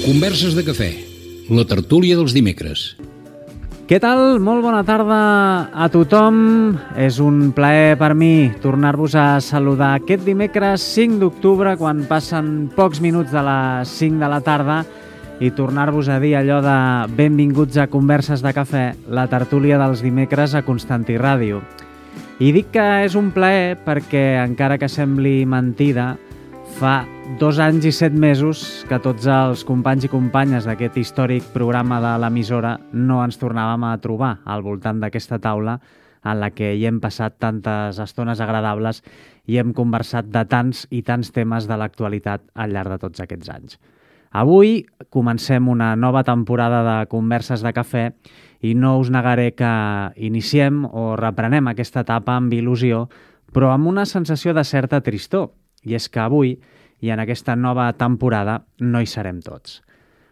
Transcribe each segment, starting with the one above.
Converses de cafè, la tertúlia dels dimecres. Què tal? Molt bona tarda a tothom. És un plaer per mi tornar-vos a saludar aquest dimecres 5 d'octubre, quan passen pocs minuts de les 5 de la tarda, i tornar-vos a dir allò de benvinguts a Converses de cafè, la tertúlia dels dimecres a Constantí Ràdio. I dic que és un plaer perquè, encara que sembli mentida, fa 2 anys i 7 mesos que tots els companys i companyes d'aquest històric programa de l'emissora no ens tornàvem a trobar al voltant d'aquesta taula en la que hi hem passat tantes estones agradables i hem conversat de tants i tants temes de l'actualitat al llarg de tots aquests anys. Avui comencem una nova temporada de Converses de cafè i no us negaré que iniciem o reprenem aquesta etapa amb il·lusió, però amb una sensació de certa tristor. I és que avui, i en aquesta nova temporada, no hi serem tots.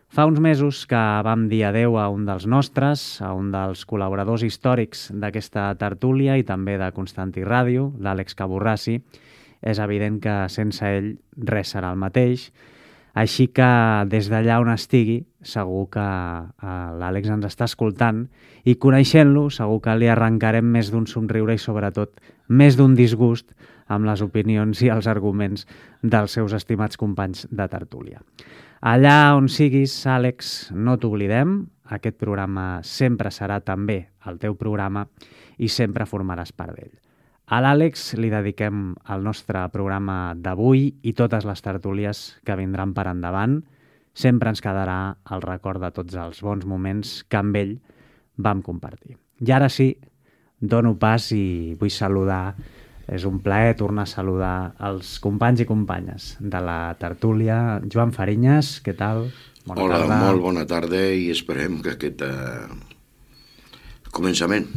Fa uns mesos que vam dir adeu a un dels nostres, a un dels col·laboradors històrics d'aquesta tertúlia i també de Constantí Ràdio, l'Àlex Caborrassi. És evident que sense ell res serà el mateix. Així que des d'allà on estigui, segur que l'Àlex ens està escoltant i coneixent-lo, segur que li arrencarem més d'un somriure i sobretot més d'un disgust amb les opinions i els arguments dels seus estimats companys de tertúlia. Allà on siguis, Àlex, no t'oblidem. Aquest programa sempre serà també el teu programa i sempre formaràs part d'ell. A l'Àlex li dediquem el nostre programa d'avui i totes les tertúlies que vindran per endavant. Sempre ens quedarà el record de tots els bons moments que amb ell vam compartir. I ara sí, dono pas i vull saludar. És un plaer tornar a saludar els companys i companyes de la tertúlia. Joan Farinyes, què tal? Bona tarda. Molt bona tarda i esperem que aquest començament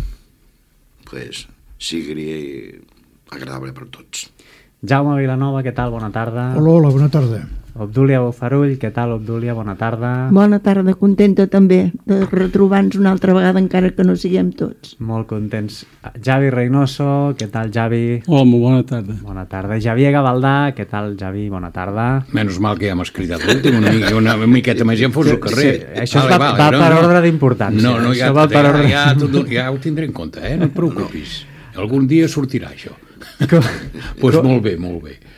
sigui agradable per tots. Jaume Vilanova, què tal? Bona tarda. Hola, bona tarda. Obdúlia Bofarull, què tal, Obdúlia? Bona tarda. Bona tarda, contenta també de retrobar-nos una altra vegada, encara que no siguem tots. Molt contents. Javi Reynoso, què tal, Javi? Hola, molt bona tarda. Bona tarda. Javier Gavaldà, què tal, Javi? Bona tarda. Menys mal que ja m'has cridat l'últim, una miqueta més i em fos al carrer. Sí, això va per ordre d'importància. No, ja ho tindré en compte, no et preocupis. Algun dia sortirà això. Doncs molt bé.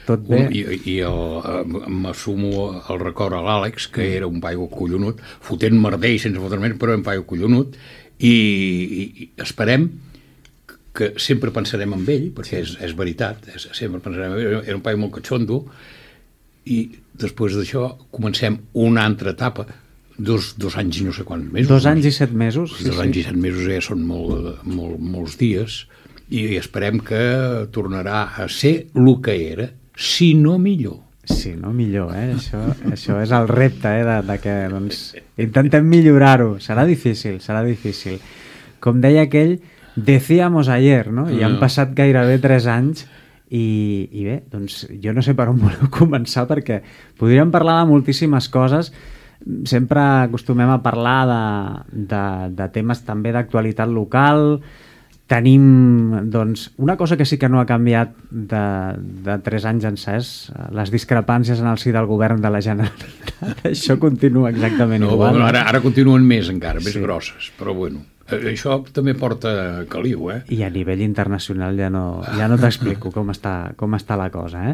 Tot bé. I m'assumo el record a l'Àlex, que era un paio collonut, fotent merder i sense fotre més, però un paio collonut, i esperem que sempre pensarem en ell, perquè és veritat, sempre pensarem en ell. Era un paio molt catxondo, i després d'això comencem una altra etapa, dos anys i no sé quants mesos. 2 anys i 7 mesos. 2 anys i 7 mesos ja són molts dies, i esperem que tornarà a ser el que era, si no millor. Si no millor, Això és el repte, de que intentem millorar-ho. Serà difícil. Com deia aquell, decíamos ayer, no? I han passat gairebé 3 anys i bé, doncs jo no sé per on voleu començar, perquè podríem parlar de moltíssimes coses. Sempre acostumem a parlar de temes també d'actualitat local. Tenim, doncs, una cosa que sí que no ha canviat de 3 anys encès, les discrepàncies en el si del govern de la Generalitat. Això continua exactament igual. Bueno, ara continuen més encara, més grosses, però bueno. Això també porta caliu, I a nivell internacional ja no t'explico com està la cosa,